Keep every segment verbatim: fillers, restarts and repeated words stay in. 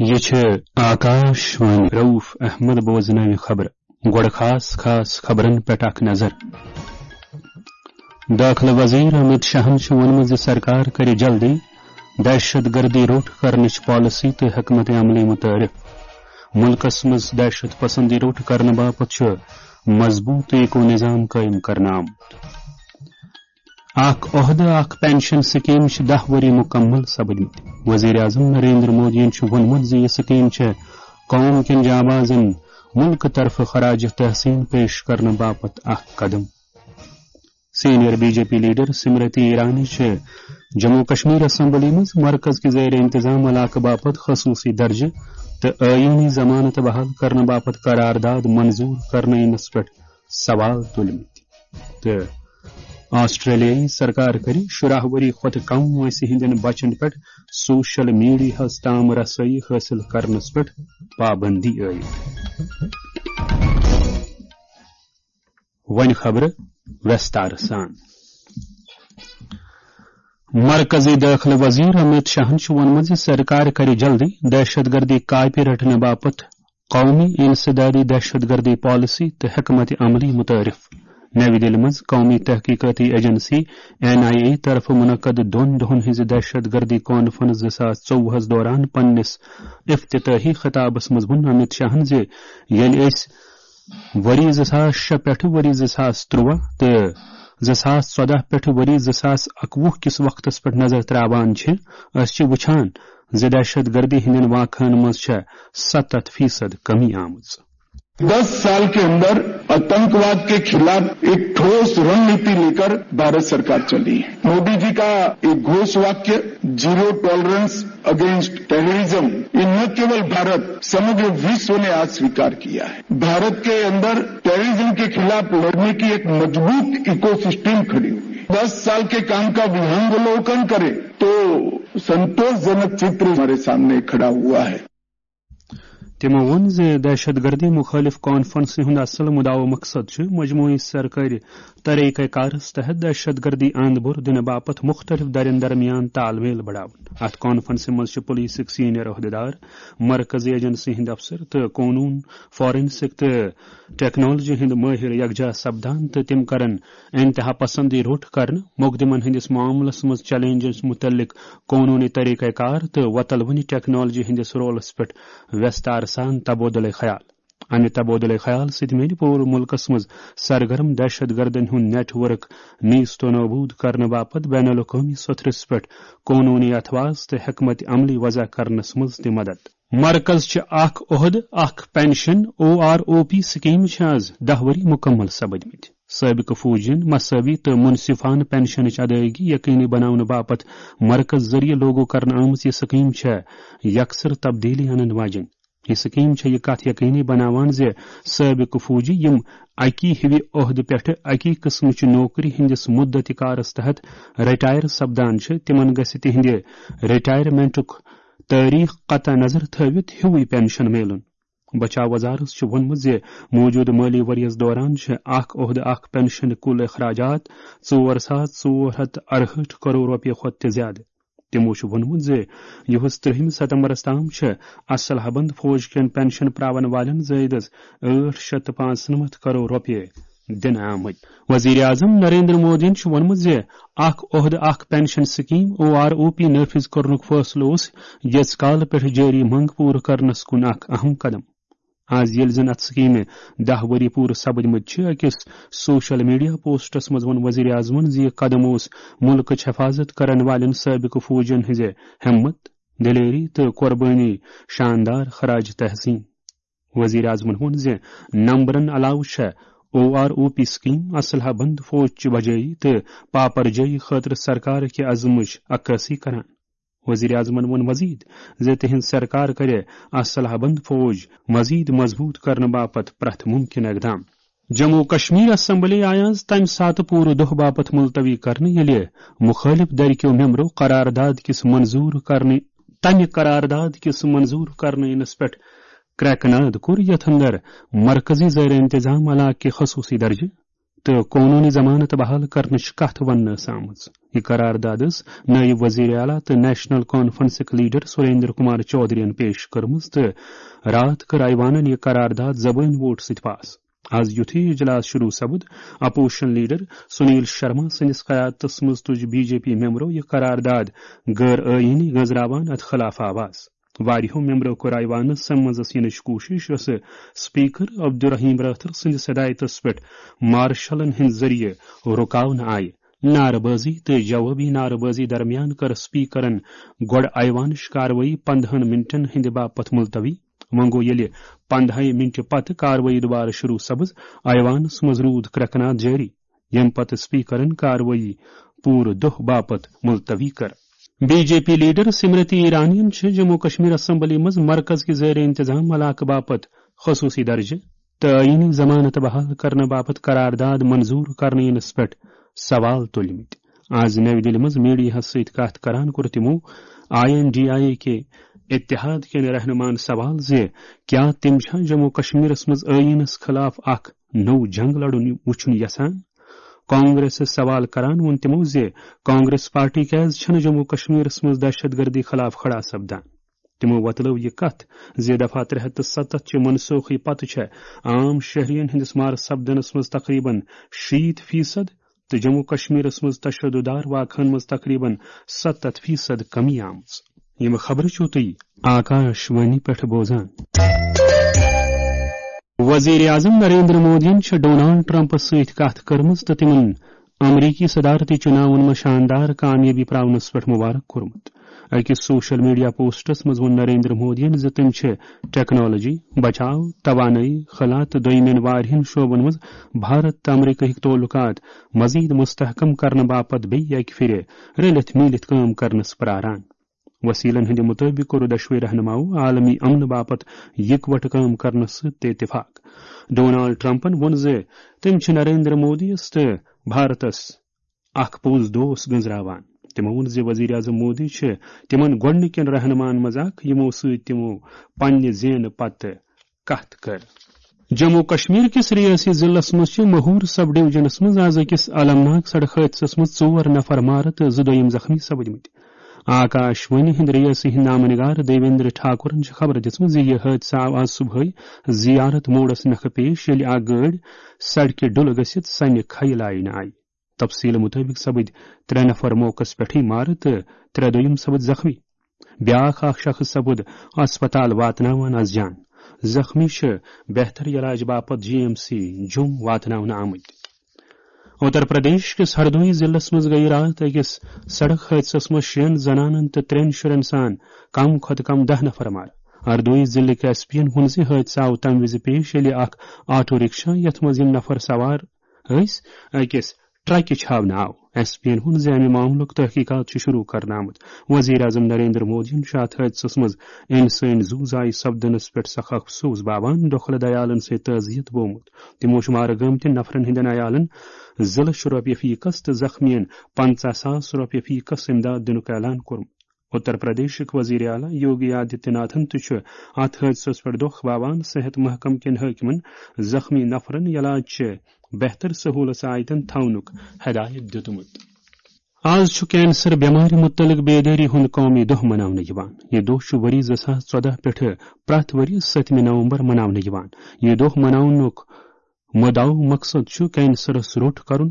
یہِ چھِ آکاش وانی۔ رؤف احمد بوزنٲوِ خبرٕ۔ گۄڈٕ خاص خاص خبرن پٮ۪ٹھ اکھ نظر۔ دٲخلہٕ وزیر امت شاہن چھُ ووٚنمُت زِ سرکار کرِ جلدی دہشت گردی روٚٹ کرنٕچ پالیسی تہٕ حکمت عملی متعارف۔ مُلکس منٛز دہشت پسندی روٚٹ کرنہٕ باپتھ چھُ مضبوط ایکو نظام قٲیِم کرنہٕ آمُت۔ اکھ عہدٕ اکھ پینشن سکیٖم چھِ دَہ ؤری مُکمل سپٕدمٕتۍ۔ وزیر اعظم نریندر مودیَن چھُ ووٚنمُت زِ یہِ سکیٖم چھےٚ قوم کٮ۪ن جانبازن مُلکہٕ طرفہٕ خراج تحسین پیش کرنہٕ باپتھ اکھ قدم۔ Senior B J P leader Smriti Irani چھِ جموں کشمیر اسمبلی منٛز مرکز کہِ زیر انتظام علاقہٕ باپتھ خصوٗصی درجہٕ تہٕ ٲیٖنی ضمانت بحال کرنہٕ باپتھ قرارداد منظور کرنہٕ یِنس پٮ۪ٹھ سوال تُلمٕتۍ۔ تہٕ آسٹریلیائی سرکار کَرِ شُراہ ؤری کھۄتہٕ کم وٲنٛسہِ ہٕنٛدٮ۪ن بچن پٮ۪ٹھ سوشل میڈیاہَس تام رسٲیی حٲصِل کرنس پٮ۪ٹھ پابندی عائد۔ وۄنۍ خبرٕ وستار سان۔ مرکزی دٲخلہٕ وزیر امت شاہن چھُ ووٚنمُت زِ سرکار کرِ جلدی دہشت گردی کاپہِ رٹنہٕ باپتھ قومی انسدادی دہشت گردی پالیسی تہٕ حکمت عملی متعارف۔ نَوِ دِلہِ منٛز قومی تحقیقاتی ایجنسی این آئی اے طرفہٕ منعقد دۄن دۄہن ہٕنٛزِ دہشت گردی کانفرنس زٕ ساس ژوٚوُہس دوران پننِس افتتاحی خطابس منٛز ووٚن امت شاہن زِ ییٚلہِ أسۍ ؤری زٕ ساس شےٚ پٮ۪ٹھٕ ؤری زٕ ساس تُرٛواہ تہٕ زٕ ساس ژۄداہ پٮ۪ٹھٕ ؤری زٕ ساس اَکوُہ کِس وقتس پٮ۪ٹھ نظر تراوان چھِ، أسۍ چھِ وٕچھان زِ دہشت گردی ہٕنٛدٮ۪ن واقعن منٛز چھےٚ ستتھ فیصد کمی آمٕژ۔ دس سال کے اندر आतंकवाद के खिलाफ एक ठोस रणनीति लेकर भारत सरकार चली है। मोदी जी का एक घोष वाक्य जीरो टॉलरेंस अगेंस्ट टेररिज्म, ये न केवल भारत, समग्र विश्व ने आज स्वीकार किया है। भारत के अंदर टेररिज्म के खिलाफ लड़ने की एक मजबूत इकोसिस्टम खड़ी हुई है। दस साल के काम का विहंगावलोकन करें तो संतोषजनक चित्र हमारे सामने खड़ा हुआ है। تِمو ووٚن زِ دہشت گردی مُخٲلِف کانفرنسہِ ہُنٛد اصل مُدعا و مقصد چھُ مجموعی سرکٲرۍ طریقہ کارس تحت دہشت گردی اند بُر دِنہٕ باپتھ مُختٔلِف دَرٮ۪ن درمیان تال میل بڑاوُن۔ اَتھ کانفرنسہِ منٛز چھِ پولیسٕکۍ سینئر عہدیدار، مرکزی ایجنسی ہٕنٛدۍ افسر تہٕ قونوٗن، فارنسک تہٕ ٹیکنالوجی ہٕنٛدۍ مٲہِر یکجا سپدان تہٕ تِم کرن انتہا پسندی روٚٹ کرنہٕ، مقدمن ہٕنٛدِس معاملس منٛز چیلنجن مُتعلق قونوٗنی طریقہ کار تہٕ وۄتلوٕنہِ ٹیکنالوجی ہٕنٛدِس رولس پٮ۪ٹھ وستار سان تبادلہٕ خیال۔ امہِ تبادلہٕ خیال سۭتۍ میلہِ پوٗرٕ مُلکس منٛز سرگرم دہشت گردن ہُنٛد نیٹ ورک نیست و نابود کرنہٕ باپتھ بین الاقوٲمی سطحس پٮ۪ٹھ قونوٗنی اتھواس تہٕ حکمت عملی وضع کرنس منٛز تہِ مدد۔ مرکز چھِ اکھ عہدٕ، اکھ pension, O R O P scheme چھِ از دَہ ؤری مُکمل سپٕدمٕتۍ۔ سٲبقہٕ فوجین مساوی تہٕ منصفانہٕ پینشنٕچ ادائیگی یقینی بناونہٕ باپتھ مرکز ذٔریعہٕ لاگو کرنہٕ آمٕژ یہِ سکیٖم چھےٚ یکسر تبدیلی انن واجیٚنۍ۔ یہِ سکیٖم چھےٚ یہِ کتھ یقینی بناوان زِ سٲبقہٕ فوجی، یِم اکی ہِوِ عہدٕ پٮ۪ٹھٕ اکی قٕسمٕچہِ نوکری ہٕنٛدِس مُدتِ کارس تحت رٹائر سپدان چھِ، تِمن گژھِ تِہنٛدِ رٹائرمنٹُک تٲریخ قطع نظر تھٲوِتھ ہیوٗے پینشن میلُن۔ بچاو وزارت چھُ ووٚنمُت زِ موٗجوٗدٕ مٲلی ؤرۍ یَس دوران چھِ اکھ عہدٕ اکھ پینشن کُل اخراجات ژور ساس ژور ہتھ ارہٲٹھ کرور رۄپیہِ کھۄتہٕ تہِ زیادٕ۔ تِمو چھُ ووٚنمُت زِ یُہُس ترٛہمہِ ستمبرس تام چھِ اسلحہ بند فوج کٮ۪ن پینشن پراون والٮ۪ن زٲیدس ٲٹھ شیٚتھ تہٕ پانٛژنمتھ کرور رۄپیہِ دِنہٕ آمٕتۍ۔ وزیر اعظم نریندر مودیَن چھُ ووٚنمُت زِ اکھ عہدٕ اکھ pension scheme, O R O P, نافذ کرنُک فٲصلہٕ اوس ییٖژ کالہٕ پٮ۪ٹھ جٲری منٛگ پوٗرٕ کرنس کُن اکھ اہم قدم۔ از ییٚلہِ زن اتھ سکیٖمہِ دَہ ؤری پوٗرٕ سپٕدمٕتۍ چھِ، أکِس سوشل میڈیا پوسٹس منٛز ووٚن وزیر اعظمن زِ یہِ قدم اوس مُلکٕچ حفاظت کرن والٮ۪ن سٲبقہٕ فوجین ہٕنٛزِ ہمت، دلیری تہٕ قربٲنی شاندار خراج تحسین۔ وزیر اعظمن ووٚن زِ نمبرن علاوٕ چھےٚ O R O P scheme اسلحہ بند فوج چہِ بجٲیی تہٕ پاپرجٲیی خٲطرٕ سرکار کہِ عزمٕچ عکٲسی کران۔ وزیر اعظمن ووٚن مزید زِ تِہنٛز سرکار کرِ اسلحہ بند فوج مزید مضبوط کرنہٕ باپتھ پرٛٮ۪تھ مُمکِن اقدام۔ جموں و کشمیر اسمبلی آیہِ آز تَمہِ ساتہٕ پوٗرٕ دۄہ باپتھ ملتوی کرنہٕ، ییٚلہِ مُخٲلِف دھرِ کیو ممبرو قرارداد کِس منظوٗر کرنہٕ، تَمہِ قرارداد کِس منظوٗر کرنہٕ یِنس پٮ۪ٹھ کرٛٮ۪کہٕ ناد کوٚر، یَتھ اندر مرکزی زیر انتظام علاقہٕ کہِ خصوٗصی درجہٕ، تہٕ قونوٗنی ضمانت بحال کرنٕچ کتھ وننہٕ ٲس آمٕژ۔ یہِ قرارداد ٲس نٲیِب وزیر اعلیٰ تہٕ نیشنل کانفرنسٕکۍ لیڈر سریندر کمار چودھرین پیش کٔرمٕژ تہٕ راتھ کٔر ایوانن یہِ قرارداد زبٲنۍ ووٹ سۭتۍ پاس۔ از یُتھُے اجلاس شروع سپُد، اپوزیشن لیڈر سنیل شرما سٕنٛدِس قیادتس منٛز تُج بی جے پی ممبرو یہِ قرارداد غٲر آئینی گٔنٛزراوان اتھ خلاف آواز۔ واریاہو ممبرو کوٚر ایوانس منٛزس یِنٕچ کوٗشش، یۄسہٕ سپیکر عبدالرحیم رٲتھر سٕنٛدِس ہدایتس پٮ۪ٹھ مارشلن ہٕنٛدِ ذٔریعہٕ رُکاونہٕ آیہِ۔ نعرٕ بٲزی تہٕ جوابی نعرٕ بٲزی درمیان کٔر سپیکرن گۄڈٕ ایوانٕچ کاروٲیی پندہن منٹن ہٕنٛدِ باپتھ ملتوی۔ وۄنۍ گوٚو، ییٚلہِ پندہے منٹہِ پتہٕ کاروٲیی دُبارٕ شروع سپٕز، ایوانس منٛز روٗد کرٛٮ۪کہٕ ناد جٲری، ییٚمہِ پتہٕ سپیکرن کاروٲیی پوٗرٕ دۄہ باپتھ ملتوی کٔر۔ B J P leader Smriti ایرانین چھِ جموں کشمیر اسمبلی منٛز مرکز کہِ زیر انتظام علاقہٕ باپتھ خصوٗصی درجہٕ تہٕ آئینی ضمانت بحال کرنہٕ باپتھ قرارداد منظور کرنہٕ یِنس پٮ۪ٹھ سوال تُلمٕتۍ۔ آز نَوِ دِلہِ منٛز میڈیاہَس سۭتۍ کَتھ کران کوٚر تِمو I N D I A کہِ اتحاد کٮ۪ن رہنُماہن سوال زِ کیٛاہ تِم چھا جموں کشمیرس منٛز ٲییٖنس خلاف اکھ نوٚو جنگ لڑُن وُچھُن یژھان؟ کانگریسس سوال کران ووٚن تِمو زِ کانگریس پارٹی کیازِ چھنہٕ جموں کشمیرس منٛز دہشت گردی خلاف کھڑا سپدان۔ تِمو وۄتلٲو یہِ کتھ زِ دفعہ ترٛےٚ ہتھ تہٕ ستتھ چہِ منسوخی پتہٕ چھےٚ عام شہرین ہٕنٛدِس مارٕ سپدنس منٛز تقریباً شیٖتھ فیصد تہٕ جموں کشمیرس منٛز تشدد دار واقعن منٛز تقریباً ستتھ فیصد کمی آمٕژ۔ یِم خبرٕ چھِو تُہۍ آکاش وانی پٮ۪ٹھ بوزان۔ وزیر اعظم نریندر مودیَن چھِ ڈونالڈ ٹرمپس سۭتۍ کتھ کٔرمٕژ تہٕ تِمن امریکی صدارتی چُناون منٛز شاندار کامیٲبی پراونس پٮ۪ٹھ مبارک کوٚرمُت۔ أکِس سوشل میڈیا پوسٹس منٛز ووٚن نریندر مودیَن زِ تِم چھِ ٹیکنالوجی، بچاو، توانٲیی، خلا تہٕ دوٚیمٮ۪ن واریاہن شعبن منٛز بھارت تہٕ امریکہٕکۍ تعلقات مزید مستحکم کرنہٕ باپتھ بیٚیہِ اکہِ پھرِ رٔلِتھ میٖلِتھ کٲم کرنس پراران۔ وسیلن ہٕنٛدِ مُطٲبِق کوٚر دۄشوے رہنماہو عالمی امنہٕ باپتھ یکوٹہٕ کٲم کرنس سۭتۍ تہِ اتفاق۔ ڈونالڈ ٹرمپن ووٚن زِ تِم چھِ نریندر مودیَس تہٕ بھارتس اکھ پوٚز دوست گٔنزراوان۔ تِمو ووٚن زِ وزیر اعظم مودی چھِ تِمن گۄڈٕنِکٮ۪ن رہنماہن منٛز اکھ، یِمو سۭتۍ تِمو پننہِ زینہٕ پتہٕ کتھ کٔر۔ جموں کشمیر کِس ریاستی ضلعس منٛز چھِ مہور سب ڈویژنس منٛز از أکِس المناک سڑک حٲدثس منٛز ژور نفر مارٕ تہٕ زٕ دوٚیِم زخمی سپٕدمٕتۍ۔ آکاش وانی ہٕنٛدۍ ریاستی ہٕنٛدۍ نامہ نگار دیویندر ٹھاکرن چھِ خبر دِژمٕژ زِ یہِ حٲدثہٕ آو از صبحٲے زیارت موڑس نکھٕ پیش، ییٚلہِ اکھ گٲڑۍ سڑکہِ ڈُلہٕ گٔژھِتھ سنہِ کھیہِ لاینہٕ آیہِ۔ تفصیل مُطٲبِق سپٕدۍ ترٛےٚ نفر موقعس پٮ۪ٹھٕے مارٕ تہٕ ترٛےٚ دوٚیِم سپٕدۍ زخمی۔ بیٛاکھ اکھ شخص سپُد ہسپتال واتناوان از جان۔ زخمی چھِ بہتر علاج باپتھ جی ایم سی جوٚم واتناونہٕ آمٕتۍ۔ اُتر پردیش کِس ہردوئی ضلعس منٛز گٔیہِ راتھ أکِس سڑک حٲدثس منٛز شیٚن زنانن تہٕ ترٛٮ۪ن شُرٮ۪ن سان کم کھۄتہٕ کم دَہ نفر مارٕ۔ ہردوئی ضلعٕکۍ ایس پی ین ووٚن زِ حٲدثہٕ آو تَمہِ وِزِ پیش، ییٚلہِ اکھ آٹو رکشا، یتھ منٛز یِم نفر سوار ٲسۍ، أکِس ٹرکہِ چھاونہٕ آو۔ ایس پی ین ووٚن زِ امہِ معاملُک تحقیقات چھُ شروع کرنہٕ آمُت۔ وزیر اعظم نریندر مودیَن چھُ اتھ حٲدثس منٛز انسٲنی زُو زایہِ سپدنس پٮ۪ٹھ سخ افسوس باوان، ڈوکھلہٕ دیالن سۭتۍ تعزیت بومُت۔ تِمو چھُ مارٕ گٲمتٮ۪ن نفرن ہٕنٛدٮ۪ن عیالن زٕ لچھ رۄپیہِ فی کس تہٕ زخمیَن پنژاہ ساس رۄپیہِ فی کس امداد دِنُک اعلان کوٚرمُت۔ اُتر پردیشٕکۍ وزیر اعلیٰ یوگی آدتیہ ناتھن تہِ چھُ اتھ حٲدثس پٮ۪ٹھ دۄکھ باوان صحت محکمہٕ کٮ۪ن حٲکمن زخمی نفرن علاج چہِ بہتر سہولژ آیتن تھاونُک ہدایت دِیُتمُت۔ آز چھُ کینسر بٮ۪مارِ مُتعلق بیدٲری ہُنٛد قومی دۄہ مناونہٕ یِوان۔ یہِ دۄہ چھُ ؤری زٕ ساس ژۄدہ پٮ۪ٹھٕ پرٛٮ۪تھ ؤرۍ یہِ سٔتمہِ نومبر مناونہٕ یِوان۔ یہِ دۄہ مناونُک مدعو مقصد چھُ کینسرس روٚٹ کرُن،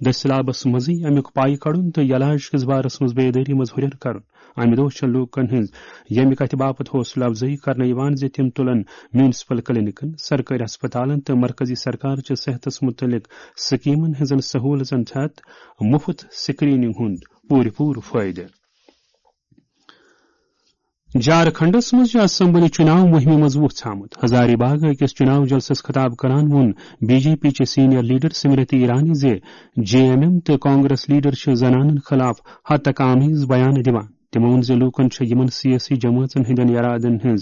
دٔسِلابس منٛزٕے امیُک پاے کڑُن تہٕ علاج کِس بارس منٛز بیدٲری منٛز ہُرٮ۪ر کرُن۔ امہِ دۄہ چھےٚ لوٗکن ہٕنٛز ییٚمہِ کتھِ باپتھ حوصلہٕ افزٲیی کرنہٕ یِوان زِ تِم تُلن میونسپل کلینکن، سرکٲرۍ ہسپتالن تہٕ مرکزی سرکار چہِ صحتس مُتعلق سکیمن ہٕنٛزن سہوٗلژن تحت مُفت سکریننگ ہُنٛد پوٗرٕ پوٗرٕ فٲیدٕ۔ جھارکھنڈس منٛز چھِ اسمبلی چُناو مُہِمہِ منٛز وُژھ آمُت۔ ہزاری باغ أکِس چُناو جلسس خطاب کران ووٚن بی جے پی چہِ سینئر لیڈر سمرتی ایرانی زِ جے ایم ایم تہٕ کانگریس لیڈر چھِ زنانن خلاف ہتک آمیز بیان دِوان۔ تِمو ووٚن زِ لوٗکن چھِ یِمن سیٲسی جمٲژن ہٕنٛدٮ۪ن ارادن ہٕنٛز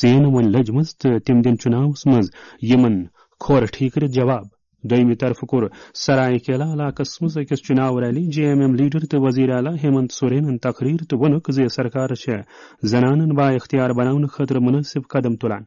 ژین وۄنۍ لٔجمٕژ تہٕ تِم دِن چُناوس منٛز یِمن کھۄر ٹھیٖکرِتھ جواب۔ دوٚیمہِ طرفہٕ کوٚر سرائے کیلا علاقس منٛز أکِس چُناو rally J M M leader تہٕ وزیر اعلیٰ ہیمنت سورینن تقریر تہٕ ووٚنُکھ زِ سرکار چھےٚ زنانن با اختیار بناونہٕ خٲطرٕ مُنٲسِب قدم تُلان۔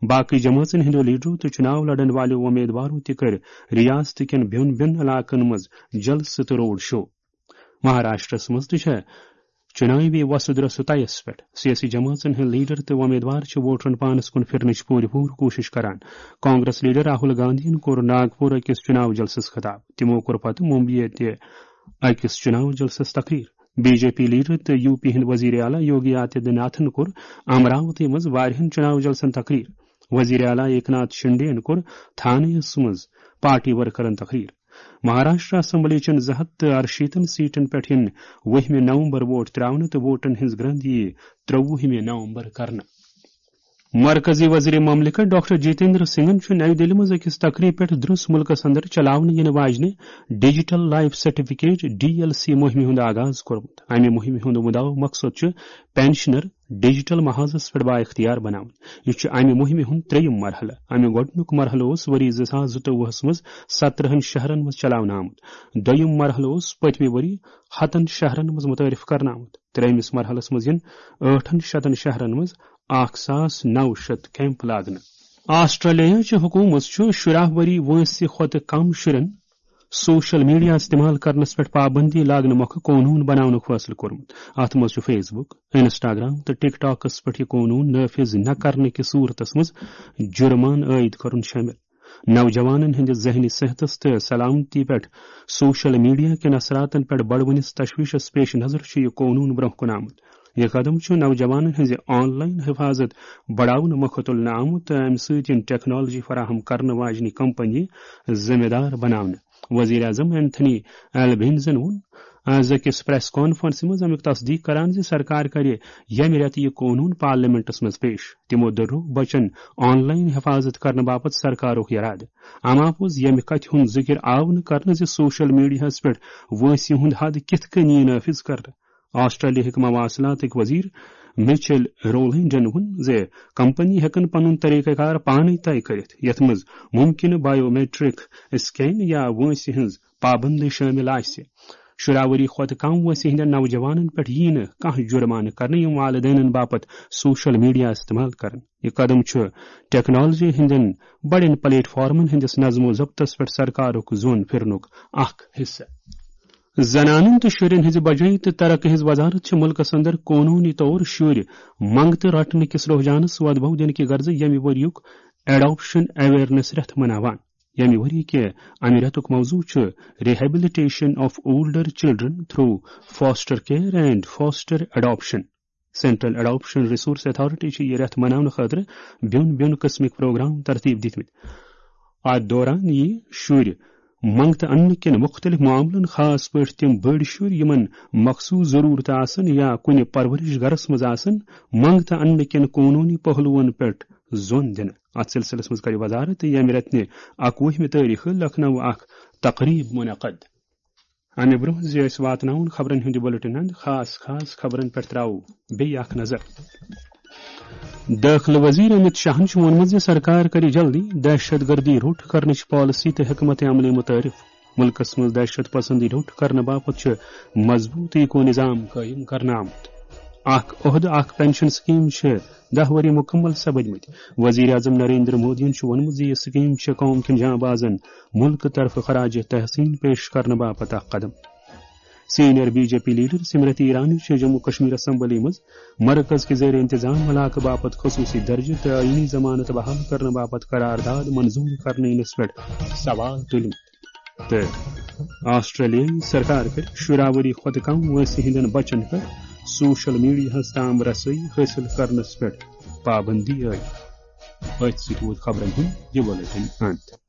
باقٕے جمٲژن ہٕنٛدیو لیڈرو تہٕ چُناو لڑن والیو وۄمیدوارو تہِ کٔرۍ ریاست کٮ۪ن بیوٚن بیوٚن علاقن منٛز جلسہٕ تہٕ روڈ شو۔ مہاراشٹرس منٛز تہِ چھےٚ چُناوی وۄسہٕ درۄسہٕ طیس پٮ۪ٹھ۔ سیٲسی جمٲژن ہٕنٛدۍ لیڈر تہٕ وۄمیدوار چھِ ووٹرن پانس کُن پھرنٕچ پوٗرٕ پوٗرٕ کوٗشش کران۔ کانگریس لیڈر راہل گاندھین کوٚر ناگپور أکِس چُناو جلسس خطاب۔ تِمو کوٚر پتہٕ ممبیہِ تہِ أکِس چُناو جلسس تقریر۔ بی جے پی لیڈر تہٕ یو پی ہٕنٛدۍ وزیر اعلیٰ یوگی آدتیہ ناتھن کوٚر امراوتی منٛز واریاہن چُناو جلسن تقریر۔ وزیر اعلیٰ ایکناتھ شنڈے یَن کوٚر تھانیَس منٛز پارٹی ورکرن تقریر۔ مہاراشٹر اسمبلی چٮ۪ن زٕ ہتھ تہٕ ارشیٖتن سیٹن پٮ۪ٹھ یِن وُہمہِ نومبر ووٹ ترٛاونہٕ تہٕ ووٹن ہٕنٛز گرٛنٛد یِیہِ ترٛوُہمہِ نومبر کرنہٕ۔ مرکزی وزیر مملکت ڈاکٹر جتیندر سنگھن چھُ نَیہِ دِلہِ منٛز أکِس تقریٖبہِ پٮ۪ٹھ درٛس مُلکس اندر چلاونہٕ یِنہٕ واجنہِ digital life certificate, D L C, مُہِمہِ ہُنٛد آغاز کوٚرمُت۔ امہِ مُہِمہِ ہُنٛد مُدعا مقصد چھُ پینشنر ڈیجیٹل محاذس پٮ۪ٹھ بااختیار بناوُن۔ یہِ چھُ امہِ مُہِمہِ ہُنٛد ترٛیٚیِم مرحلہٕ۔ امہِ گۄڈٕنیُک مرحلہٕ اوس ؤری زٕ ساس زٕتووُہس منٛز سترہن شہرن منٛز چلاونہٕ آمُت۔ دوٚیِم مرحلہٕ اوس پٔتمہِ ؤری ہتن شہرن منٛز مُتعارف کرنہٕ آمُت۔ ترٛیٚیمِس مرحلس منٛز یِن ٲٹھن شتن شہرن منٛز اکھ ساس نو شتھ کیمپ لاگنہٕ۔ آسٹریلیا چہِ حکوٗمت چھُ شُراہ ؤری وٲنٛسہِ کھۄتہٕ کم شُرٮ۪ن سوشل میڈیا استعمال کرنس پٮ۪ٹھ پابندی لاگنہٕ مۄکھٕ قونوٗن بناونُک فٲصلہٕ کوٚرمُت۔ اتھ منٛز چھُ فیس بک، انسٹاگرام تہٕ ٹک ٹاکس پٮ۪ٹھ یہِ قونوٗن نافذ نہ کرنہٕ کِس صورتس منٛز جُرمانہٕ عٲید کرُن شٲمِل۔ نوجوانن ہٕنٛدِس ذہنی صحتس تہٕ سلامتی پٮ۪ٹھ سوشل میڈیا کٮ۪ن اثراتن پٮ۪ٹھ بڑوٕنِس تشویشس پیش نظر چھُ یہِ قونوٗن برٛونٛہہ کُن آمُت۔ یہِ قدم چھُ نوجوانن ہٕنٛزِ آن لائن حفاظت بڑاونہٕ مۄکھٕ تُلنہٕ آمُت تہٕ امہِ سۭتۍ یِن ٹیکنالوجی فراہم کرنہٕ واجنہِ کمپنی ذمہٕ دار بناونہٕ۔ وزیر اعظم اینتھنی البنیزن ووٚن آز أکِس پریس کانفرنسہِ منٛز امیُک تصدیق کران زِ سرکار کرِ ییٚمہِ رٮ۪تہٕ یہِ قونوٗن پارلیمنٹس منٛز پیش۔ تِمو دوٚرُکھ بچن آن لائن حفاظت کرنہٕ باپتھ سرکارُک یرادٕ۔ اما پوٚز ییٚمہِ کتھِ ہُنٛد ذِکر آو نہٕ کرنہٕ زِ سوشل میڈیاہس پٮ۪ٹھ وٲنٛسہِ ہُنٛد حد کِتھ کٔنۍ یِیہِ نافذ کرنہٕ۔ آسٹریلیا ہٕکۍ مواصلاتٕکۍ وزیر مچل رولینڈن ووٚن زِ کمپنی ہٮ۪کن پنُن طریقہ کار پانے طے کٔرِتھ، یتھ منٛز ممکنہٕ بایومیٹرک سکین یا وٲنٛسہِ ہٕنٛز پابندی شٲمِل آسہِ۔ شُراہ ؤری کھۄتہٕ کم وٲنٛسہِ ہٕنٛدٮ۪ن نوجوانن پٮ۪ٹھ ییہِ نہٕ کانٛہہ جُرمانہٕ کرنہٕ، یِم والدینن باپتھ سوشل میڈیا استعمال کرن۔ یہِ قدم چھُ ٹیکنالوجی ہٕنٛدٮ۪ن بڑٮ۪ن پلیٹ فارمن ہٕنٛدِس نظم و ضبطس پٮ۪ٹھ سرکارُک زون پھِرنُک اکھ حصہٕ۔ زنانن تہٕ شُرٮ۪ن ہٕنٛزِ بجٲیی تہٕ ترقی ہٕنٛز وزارت چھِ مُلکس اندر قونوٗنی طور شُرۍ منٛگتہٕ رٹنہٕ کِس رجحانس وۄدبو دِنہٕ کہِ غرضہٕ ییٚمہِ ؤرۍ یُک ایڈاپشن اویئرنیس رٮ۪تھ مناوان۔ ییٚمہِ ؤری کہِ امہِ رٮ۪تُک موضوع چھُ Rehabilitation of Older Children through Foster Care and Foster Adoption۔ Central adaption resource authority چھِ یہِ رٮ۪تھ مناونہٕ خٲطرٕ بیوٚن بیوٚن قٕسمٕکۍ پروگرام ترتیب دِتمٕتۍ۔ اتھ دوران یِیہِ شُرۍ منٛگتہٕ اننہٕ کٮ۪ن مُختٔلِف معاملن، خاص پٲٹھۍ تِم بٔڑۍ شُرۍ یِمن مخصوٗص ضروٗرتہٕ آسن یا کُنہِ پرورش گرس منٛز آسن، منٛگتہٕ اننہٕ کٮ۪ن قونوٗنی پہلوَن پٮ۪ٹھ زون دِنہٕ۔ اتھ سلسلس منٛز کرِ وزارت ییٚمہِ رٮ۪تہٕ نہِ اکوُہمہِ تٲریخہٕ لکھنؤ اکھ تقریب منعقد۔ امہِ برونٛہہ زِ أسۍ واتناوون خبرن ہُنٛد یہِ بُلٹن اند، خاص خاص خبرن پٮ۪ٹھ تراوو بیٚیہِ اکھ نظر۔ دٲخلہٕ وزیر امت شاہن چھُ ووٚنمُت زِ سرکار کرِ جلدی دہشت گردی روٚٹ کرنٕچ پالیسی تہٕ حکمت عملی متعارف۔ مُلکس منٛز دہشت پسندی روٚٹ کرنہٕ باپتھ چھُ مضبوٗط ایکو نظام قٲیِم کرنہٕ آمُت۔ اکھ عہدٕ اکھ پینشن سکیٖم چھِ دَہ ؤری مُکمل سپٕدمٕتۍ۔ وزیر اعظم نریندر مودیَن چھُ ووٚنمُت زِ یہِ سکیٖم چھِ قوم کٮ۪ن جانبازن مُلکہٕ طرفہٕ خراج تحسین پیش کرنہٕ باپتھ اکھ قدم۔ Senior B J P leader Smriti Irani چھِ جموں کشمیر اسمبلی منٛز مرکز کہِ زیر انتظام علاقہٕ باپتھ خصوٗصی درجہٕ تہٕ آئینی ضمانت بحال کرنہٕ باپتھ قرارداد منظوٗر کرنہٕ یِنس پٮ۪ٹھ سوال تُلمُت۔ تہٕ آسٹریلیائی سرکار کٔر شُراہ ؤری کھۄتہٕ کم وٲنٛسہِ ہٕنٛدٮ۪ن بچن پٮ۪ٹھ سوشل میڈیاہَس تام رسٲیی حٲصِل کرنس پٮ۪ٹھ پابندی عائد۔ أتھۍ سۭتۍ ووت خبرن ہُنٛد یہِ بُلٹن اند۔